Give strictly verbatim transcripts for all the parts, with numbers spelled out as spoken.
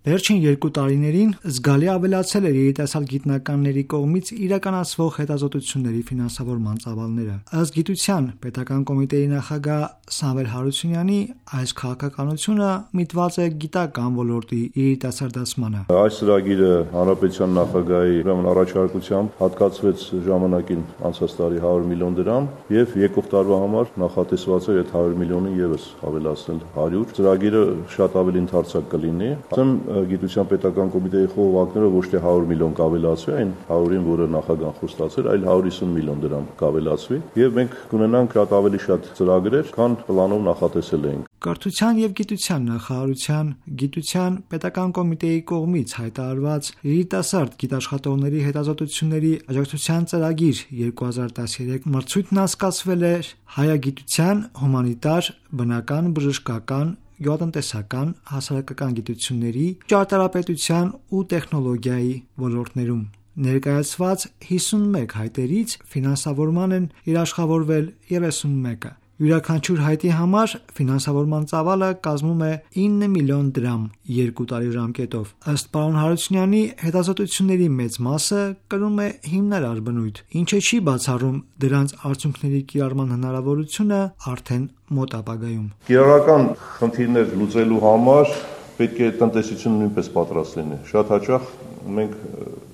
Վերջին երկու տարիներին զգալի ավելացել էր երիտասարդ գիտնականների կողմից իրականացվող հետազոտությունների ֆինանսավորման ծավալները։ Ըստ Գիտության պետական կոմիտեի նախագահ Սամվել Հարությունյանի, այս քաղաքականությունը միտված է գիտական ոլորտի երիտասարդացմանը։ Այս ծրագիրը հանրապետության նախագահի առաջարկությամբ հատկացվեց ժամանակին անցած տարի հարյուր միլիոն դրամ եւ եկող տարվա համար նախատեսված է այդ հարյուր միլիոնին եւս ավելացնել հարյուր։ Ծրագիրը շատ ավելի ընդարձակ կլինի։ Ասեմ Գիտության պետական կոմիտեի խորհրդակները ոչ թե հարյուր միլիոն կավելացվի, այն հարյուրին, որը նախագահան խոստացել, այլ հարյուր հիսուն միլիոն դրամ կավելացվի եւ մենք կունենանք շատ ավելի շատ ծրագրեր, քան պլանով նախատեսել էինք։ Կրթության եւ գիտության նախարարության Գիտության պետական կոմիտեի կողմից հայտարարված երիտասարդ գիտաշխատողների հետազոտությունների աջակցության ծրագիր երկու հազար տասներեք մրցույթն անցկացվել է հայագիտության, հումանիտար, բնական, բժշկական, գյուղատնտեսական, հասարակական գիտությունների, ճարտարապետության ու տեխնոլոգիայի ոլորտներում։ Ներկայացված հիսունմեկ հայտերից ֆինանսավորման են երաշխավորվել երեսունմեկը։ Յուրաքանչյուր հայտի համար ֆինանսավորման ծավալը կազմում է ինը միլիոն դրամ երկու տարի ժամկետով։ Ըստ պարոն Հարությունյանի, հետազոտությունների մեծ մասը կրում է հիմնարար բնույթ, ինչը չի բացառում դրանց արդյունքների կիրառման հնարավորությունը արդեն մոտ ապագայում։ Կիրառական խնդիրներ լուծելու համար պետք է տնտեսությունը նույնպես պատրաստ լինի։ Շատ հաճախ մենք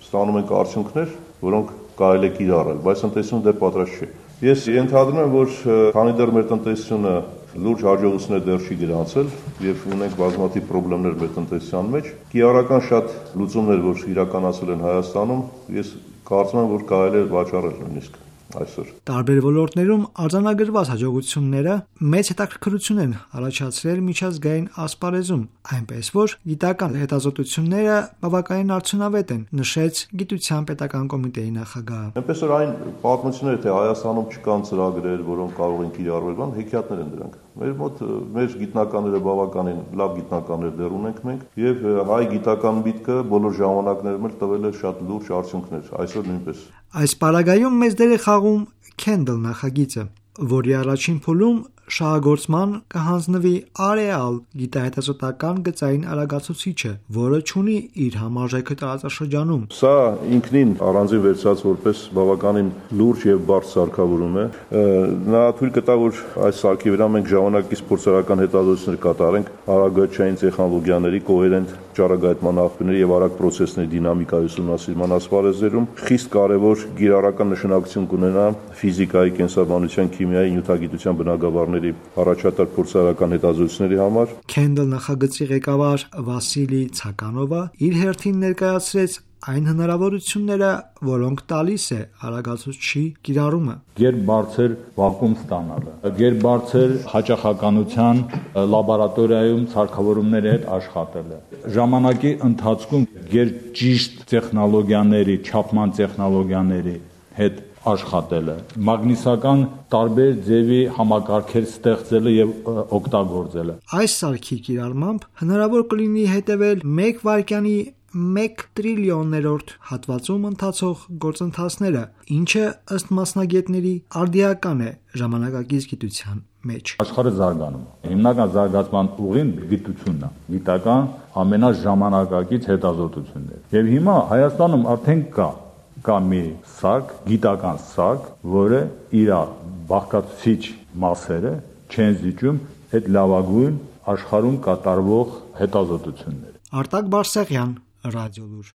ստանում ենք արդյունքներ, որոնք կարելի է կիրառել, բայց տնտեսությունը դեռ պատրաստ չէ։ Ես ենթադրում եմ, որ քանի դեռ մեր տնտեսությունը լուրջ հաջողություններ դեռ չի գրանցել եւ ունենք բազմաթիվ խնդիրներ մեր տնտեսության մեջ, կիրառական շատ լուծումներ, որ իրականացվել են Հայաստանում, ես կարծում եմ, որ կարելի է վաճառել նույնիսկ այսօր։ Տարբեր ոլորտներում արձանագրված հաջողությունները մեծ հետաքրքրություն են առաջացրել միջազգային ասպարեզում, այնպես որ գիտական հետազոտությունները բավականին արդյունավետ են, նշեց Գիտության պետական կոմիտեի նախագահը։ Այնպես որ այն պատմությունները, թե Հայաստանում չկան ծրագրեր, որոնք կարող են կիրառվել, բան հեքիաթներ են դրանք։ Մեր մոտ մեր գիտնականները բավականին լավ գիտնականներ դեռ ունենք մենք եւ հայ գիտական միտքը բոլոր ժամանակներում էլ տվել է շատ լուրջ արդյունքներ, այսօր նույնպես։ Այս պարագայում մեծ դեր է խաղում Kendall նախագիծը, որի առաջին փուլում շահագործման կհանձնվի Areal գիտահետազոտական գծային արագացուցիչը, որը ունի իր համարժեքը տարածաշրջանում։ Սա ինքնին առանձին վերցած որպես բավականին լուրջ եւ բարդ սարքավորում է։ Նա թույլ կտա, որ այս սարքի վրա մենք ժամանակից փորձարարական հետազոտություններ կատարենք արագացային տեխնոլոգիաների կոհերենտ ճառագայթման աղբյուրների եւ արագ պրոցեսների դինամիկայի ուսումնասիրման ասպարեզներում խիստ կարեւոր գիրառական նշանակություն կունենա ֆիզիկայի, կենսաբանության, քիմիայի, նյութագիտության բնագավառների առաջատար փորձարարական հետազոտությունների համար։ Kendall նախագծի ղեկավար Վասիլի Ցականովը իր հերթին ներկայացրեց այն հնարավորությունները, որոնք տալիս է արագացուցչի կիրառումը։ Գերբարձր վակուում ստանալը, գերբարձր հաճախականության լաբորատորիայում ցարգավորումների հետ աշխատելը, ժամանակի ընթացքում գերճիշտ տեխնոլոգիաների, չափման տեխնոլոգիաների հետ աշխատելը, մագնիսական տարբեր ձևի համակարգեր ստեղծելը եւ օգտագործելը։ Այս սարքի կիրառմամբ հնարավոր կլինի հետևել մեկ վայրկյանի մեկ տրիլիոններորդ հատվածում ընթացող գործընթացները, ինչը ըստ մասնագետների արդիական է ժամանակակից գիտության մեջ։ Աշխարհը զարգանում է։ Հիմնական զարգացման ուղին գիտությունն է, գիտական ամենաժամանակակից հետազոտություններ։ Եվ հիմա Հայաստանում արդեն կա կա մի սարք, գիտական սարք, որը իր բաղկացուցիչ մասերը չեն զիջում այդ լավագույն աշխարհում կատարվող հետազոտությունները։ Արտակ Բարսեղյան, Ռադիոլուր։